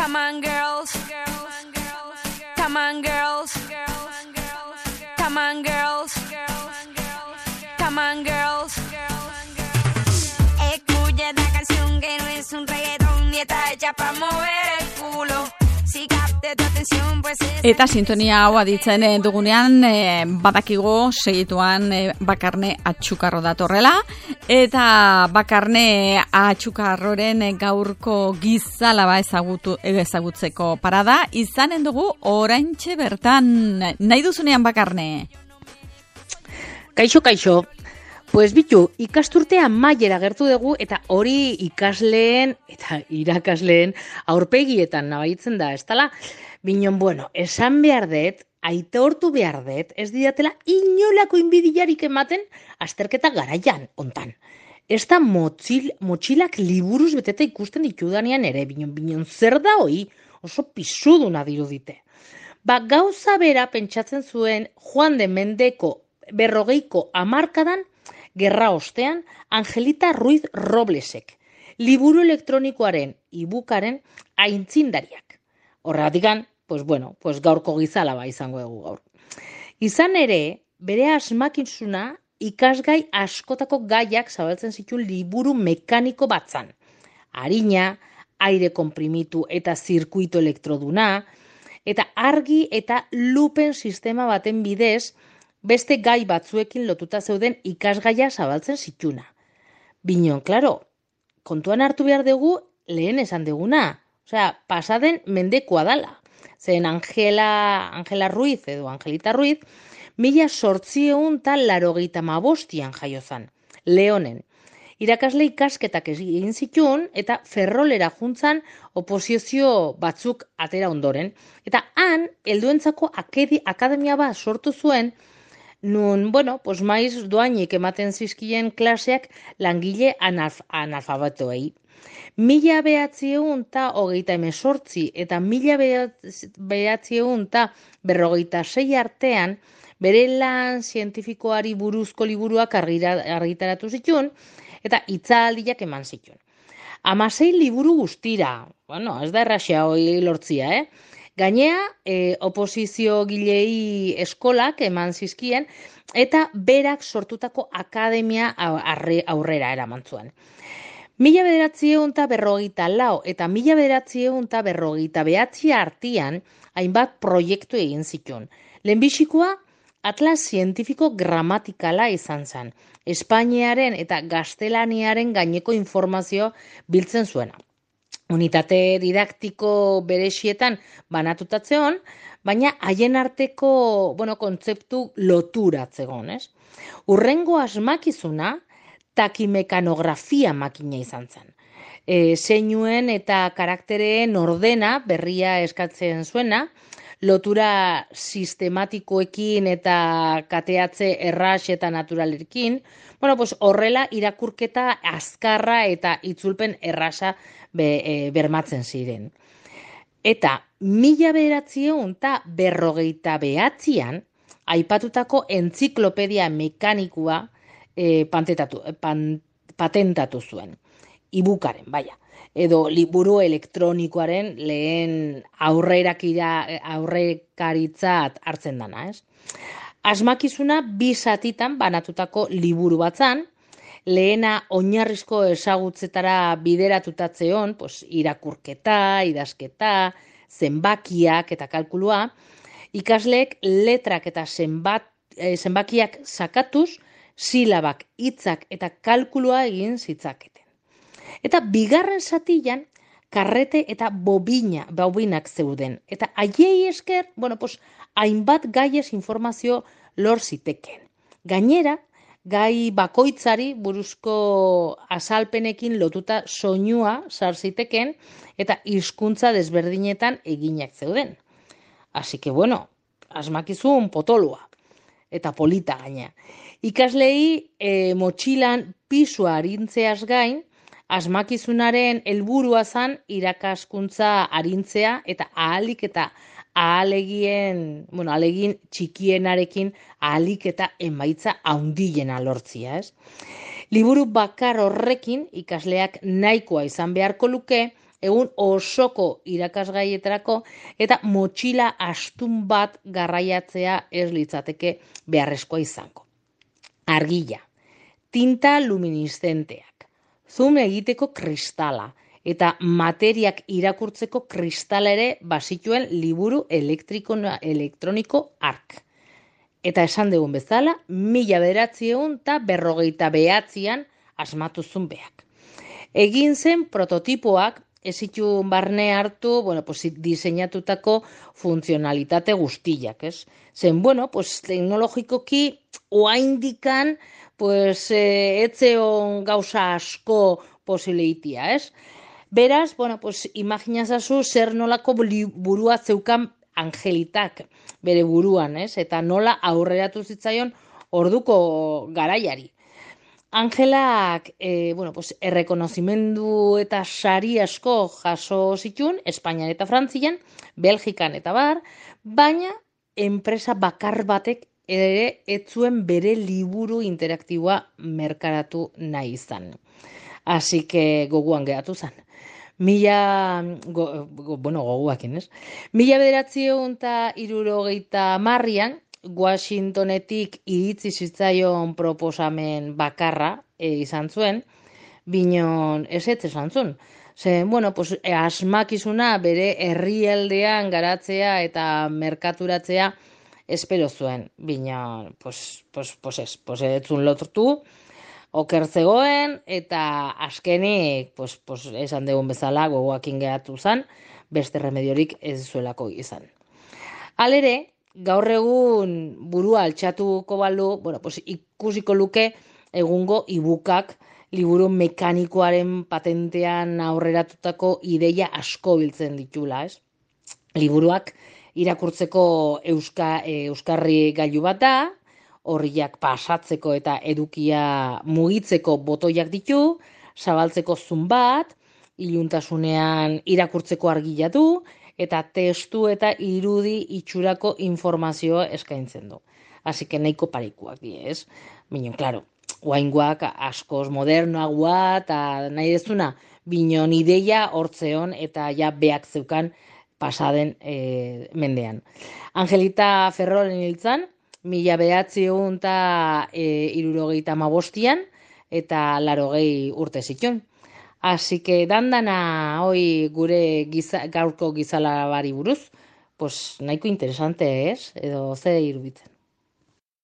Come on, girls. Come on, girls. Come on, girls. Come on, girls. Escucha esta canción que no es un reggaetón ni está hecha para mover el culo. Si capte tu atención, pues Eta sintonia hau aditzen dugunean badakigu segituan Bakarne Atxukarro datorrela eta Bakarne Atxukarroren gaurko gizalaba ezagutzeko parada izanen dugu oraintxe bertan. Nahi duzunean Bakarne? Kaixo. Pues bitu, ikasturtea mailera gertu dugu eta hori ikasleen eta irakasleen aurpegietan nabaitzen da, ez dela? Binon, bueno, esan behar dut, aitortu behar dut, ez didatela inolako inbidiarik ematen azterketa garaian ontan. Ez da motxilak liburuz beteta ikusten ditudanean ere, binon, zer da hoi oso pisuduna dirudite. Gauza bera pentsatzen zuen Juan de Mendeko 40ko hamarkadan gerra ostean Angelita Ruiz Roblesek, liburu elektronikoaren ibukaren aintzindariak. Horregatikan, pues gaurko gizalaba izango dugu gaur. Izan ere, bere asmakizuna ikasgai askotako gaiak zabaltzen zituen liburu mekaniko batzan. Arina, aire konprimitu eta zirkuito elektroduna, eta argi eta lupen sistema baten bidez, beste gai batzuekin lotuta zeuden ikasgaia zabaltzen zituna. Binon, klaro, kontuan hartu behar dugu lehen esan duguna. Osea, pasaden mendekoa dala. Zen Angela Ruiz edo Angelita Ruiz, 1885 jaio zan, Leonen. Irakasle ikasketak egin zituen eta Ferrolera juntzan oposizio batzuk atera ondoren. Eta han, helduentzako akademia bat sortu zuen, nun, maiz doainik ematen zizkien klaseak langile analfabetoei. 1928 eta 1956 artean bere lan zientifikoari buruzko liburuak argitaratu zituen eta hitzaldiak eman zituen. 16 liburu guztira, ez da erraxea hori lortzia, Gainea, oposizio gilei eskolak eman zizkien eta berak sortutako akademia aurrera eraman zuen. 1944 eta 1949 artean hainbat proiektu egin zituen. Lehenbizikoa Atlas Zientifiko Gramatikala izan zen, Espainiaren eta Gaztelaniaren gaineko informazio biltzen zuena. Unitate didaktiko berexietan banatutatzeon, baina haien arteko kontzeptu loturatzegon, ez? Urrengo asmakizuna takimekanografia makina izan zen. Zeinuen eta karaktereen ordena berria eskatzen zuena, lotura sistematikoekin eta kateatze erraz eta naturalekin, horrela irakurketa azkarra eta itzulpen erraza bermatzen ziren. Eta 1959an aipatutako entziklopedia mekanikua patentatu zuen. Ibukaren, edo liburu elektronikoaren lehen aurrekaritzat hartzen dana, ez? Asmakizuna 2 zatitan banatutako liburu batzan, lehena oinarrizko ezagutzetara bideratutatzeon, irakurketa, idazketa, zenbakiak eta kalkulua, ikasleek letrak eta zenbakiak sakatuz, silabak, hitzak eta kalkulua egin zitzaketen. Eta bigarren zatian, karrete eta bobinak zeuden. Eta haiei esker, hainbat gaiez informazio lor ziteken. Gainera, gai bakoitzari buruzko azalpenekin lotuta soinua sar ziteken eta hizkuntza desberdinetan eginak zeuden. Así que asmakizun potolua eta polita gaina. Ikaslei motxilan pisua arintzeaz gain, asmakizunaren helburua zan irakaskuntza arintzea eta ahalegin txikienarekin ahalik eta emaitza handiena lortzia, ez? Liburu bakar horrekin ikasleak nahikoa izan beharko luke egun osoko irakasgaietarako eta motxila astun bat garraiatzea ez litzateke beharrezkoa izango. Argila, tinta luminiszenteak, zoom egiteko kristala eta materiak irakurtzeko kristala ere bazituen liburu elektroniko hark. Eta esan dugun bezala, 1959an asmatu zuen beak. Egin zen prototipoak ez zituen barne hartu, diseinatutako funtzionalitate guztiak, ez? Zen, teknologikoki oaindikan, etzeon gauza asko posibilitia, ez? Beraz, imaginazazu zer nolako burua zeukan Angelitak bere buruan, ez? Eta nola aurreratu zitzaion orduko garaiari. Angelak, errekonozimendu eta sari asko jaso zituen, Espainian eta Frantzian, Belgikan eta bar, baina enpresa bakar batek ere ez zuen bere liburu interaktiboa merkaratu nahi izan. Así que goguan geratu zen. Goguakin, ez? 1960an, Washingtonetik iritzi zitzaion proposamen bakarra izan zuen, binon ez esan zuen. Asmakizuna bere herrialdean garatzea eta merkaturatzea espero zuen, binon, ez zuen loturtu, oker zegoen, eta azkenik, esan dugun bezala, gogoakin geratu zen, beste remediorik ez zuelako izan. Halere, gaur egun burua altxatuko balu, ikusiko luke egungo ibukak liburu mekanikoaren patentean aurreratutako ideia asko biltzen ditula, ez? Liburuak irakurtzeko euskarri gailu bat da, horriak pasatzeko eta edukia mugitzeko botoiak ditu, zabaltzeko zun bat, iluntasunean irakurtzeko argila du, eta testu eta irudi itxurako informazioa eskaintzen du. Así que nahiko parikuak die, ez? Binon, klaro, oaingoak askoz modernoagoa eta nahi dezuna, binon ideia hortzeon eta ja beak zeukan pasaden mendean. Angelita Ferrolen hiltzan, 1975an eta 80 urte zituen. Así que dandana hoi gure gaurko gizalabari buruz, nahiko interesante, ez? Edo ze iruditzen.